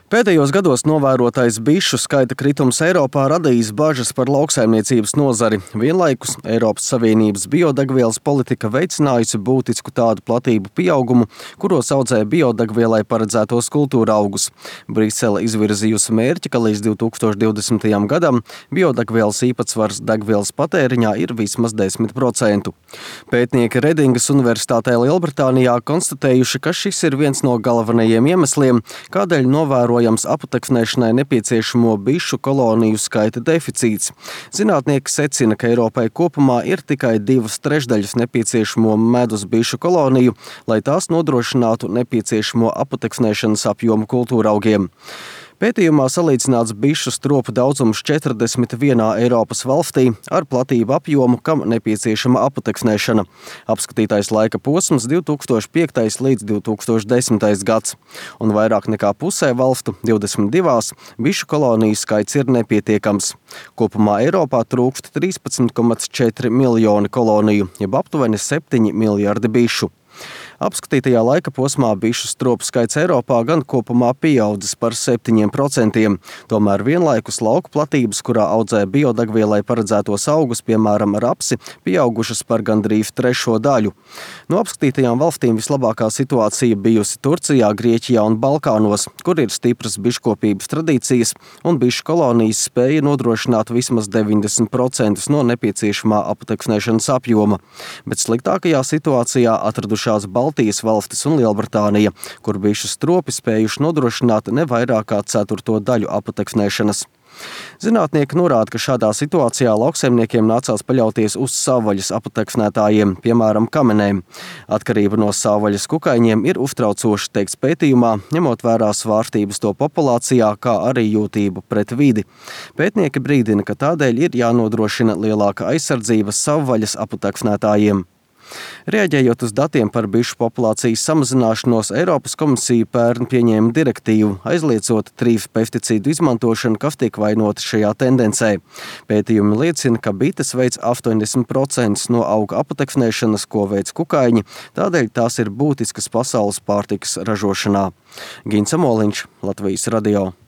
Pēdējos gados novērotais bišu skaita kritums Eiropā radījis bažas par lauksaimniecības nozari. Vienlaikus Eiropas Savienības biodegvielas politika veicinājusi būtisku tādu platību pieaugumu, kuros audzē biodegvielai paredzētos kultūra augus. Brisele izvirzījusi mērķi, ka līdz 2020. gadam biodegvielas īpatsvars degvielas patēriņā ir vismaz 10%. Pētnieki Redingas Universitātē Lielbritānijā konstatējuši, ka šis ir viens no galvenajiem iemesliem, kādēļ novērojams aputeksnēšanai nepieciešamo bišu koloniju skaita deficīts. Zinātnieki secina, ka Eiropai kopumā ir tikai 2/3 nepieciešamo medus bišu koloniju, lai tās nodrošinātu nepieciešamo aputeksnēšanas apjomu kultūraugiem. Pētījumā salīdzināts bišu stropu daudzums 41 Eiropas valstī ar platību apjomu, kam nepieciešama aputeksnēšana. Apskatītais laika posms 2005. līdz 2010. gads. Un vairāk nekā pusē valstu, 22, bišu koloniju skaits ir nepietiekams. Kopumā Eiropā trūkst 13,4 miljoni koloniju, jeb aptuveni 7 miljardi bišu. Apskatītajā laika posmā bišu stropu skaits Eiropā gan kopumā pieaudzis par 7%, tomēr vienlaikus lauku platības, kurā audzē biodegvielai paredzētos augus, piemēram, rapsi, pieaugušas par gandrīz 1/3 daļu. No apskatītajām valstīm vislabākā situācija bijusi Turcijā, Grieķijā un Balkānos, kur ir stipras biškopības tradīcijas un bišu kolonijas spēja nodrošināt vismaz 90% no nepieciešamā aputeksnēšanas apjoma. Bet sliktākajā situācijā atradušās Baltijas valstis un Lielbritānija, kur bišu stropi spējuši nodrošināt ne vairāk kā 1/4 daļu aputeksnēšanas. Zinātnieki norāda, ka šādā situācijā lauksaimniekiem nācās paļauties uz savvaļas aputeksnētājiem, piemēram, kamenēm. Atkarība no savvaļas kukaiņiem ir uztraucoša, teikts pētījumā, ņemot vērā svārstības to populācijā, kā arī jūtību pret vidi. Pētnieki brīdina, ka tādēļ ir jānodrošina lielāka aizsardzība savvaļas aputeksnētājiem. Reaģējot uz datiem par bišu populācijas samazināšanos, Eiropas komisija pērn pieņēma direktīvu, aizliedzot 3 pesticīdu izmantošanu, kas tiek vainoti šajā tendencē. Pētījumi liecina, ka bites veic 80% no auga aputeksnēšanas, ko veic kukaiņi, tādēļ tās ir būtiskas pasaules pārtikas ražošanā. Gins Amoliņš, Latvijas radio.